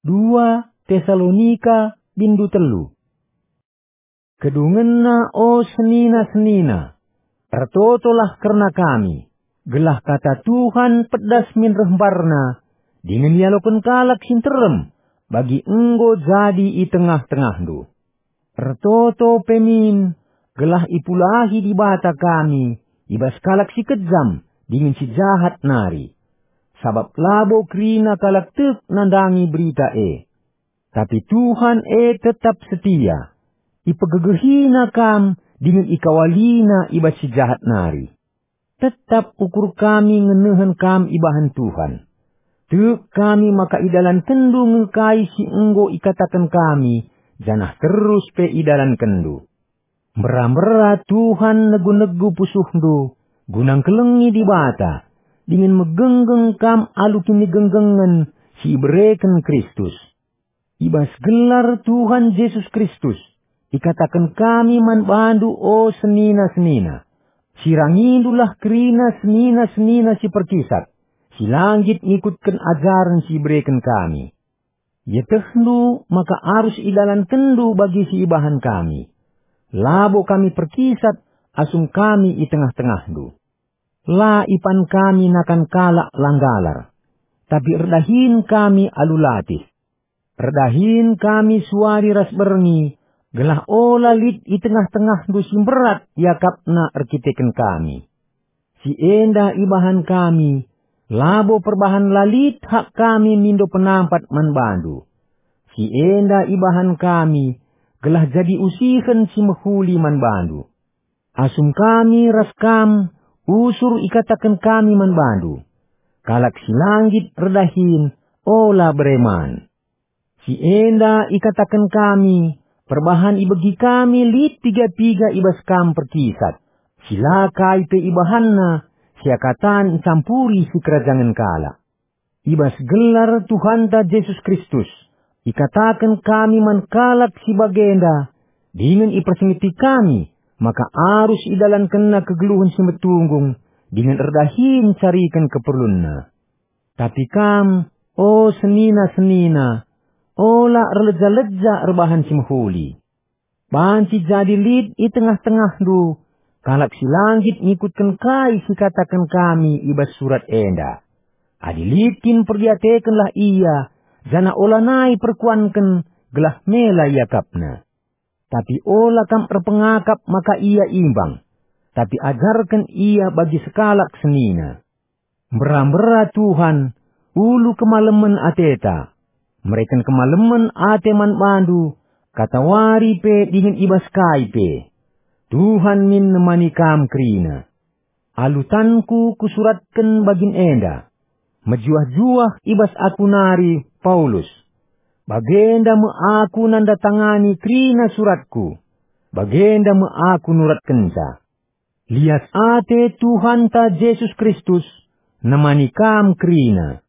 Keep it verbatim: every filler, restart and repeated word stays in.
Dua Tesalonika bindu telu. Kedungenna, o senina-senina, ertotolah kerna kami, gelah kata Tuhan pedas min reh mbarna, dingen ialoken kalak si nterem, bagi enggo jadi i tengah-tengahndu. Ertoto pe min, gelah ipulahi Dibata kami i bas kalak si kejam dingen si jahat nari. Sabap labo kerina kalak tek nandangi berita e. Tapi Tuhan e tetap setia. IpegegehiNa kam dingen ikawaliNa i bas si jahat nari. Tetap ukur kami ngenehen kam ibahan Tuhan. Tek kami maka idalankenndu nge kai si enggo ikataken kami, janah terus pe idalankenndu. Mbera-mbera Tuhan negu-negu pusuhndu, guna ngkelengi Dibata, dingen megenggeng kam alu kinigenggengen si ibereken Kristus. I bas gelar Tuhan Jesus Kristus, ikataken kami man bandu, o senina-senina, sirangindulah kerina senina-senina si perkisat, si la nggit ngikutken ajaren si ibereken kami. Ietehndu maka arus idalankenndu bagi si ibahan kami. Labo kami perkisat asum kami i tengah-tengahndu. La ipan kami nakan kalak la nggalar, tapi erdahin kami alu latih. Erdahin kami suari ras berngi, gelah ola lit i tengah-tengahndu si mberat iakapna erkiteken kami. Si enda ibahan kami, labo perbahan la lit hak kami mindo penampat man bandu. Si enda ibahan kami, gelah jadi usihen si mehuli man bandu. Asum kami ras kam usur ikataken kami man bandu, kalak si la nggit erdahin ola bere man. Si enda ikataken kami, perbahan ibegi kami lit piga-piga i bas kam perkisat, si la kai pe ibahanna, seakatan ncampuri sikerajangen kalak. I bas gelar Tuhanta Jesus Kristus, ikataken kami man kalak si bagenda, dingen ipersingeti kami maka arus idalankenna kegeluhen si metunggung dingen erdahin cariken keperlunna. Tapi kam, o senina-senina, ola erleja-leja erbahan si mehuli. Banci jadi lit i tengah-tengahndu kalak si la nggit ngikutken kai si kataken kami i bas surat enda. Adi lit kin, perdiatekenlah ia, janah olanai perkuanken, gelah mela iakapna. Tapi ola kam erpengakap maka ia imbang, tapi ajarken ia bagi sekalak senina. Mbera-mbera Tuhan, ulu kemalemen ateta, mereken kemalemen ate man bandu, katawari pe dingen i bas kai pe. Tuhan min nemani kam kerina. Alu tanku kusuratken bagin enda. Mejuah-juah i bas aku nari, Paulus. Bagenda me aku nandatangani kerina suratku. Bagenda me aku nuratkenca. Lias ate Tuhanta Jesus Kristus nemani kam kerina.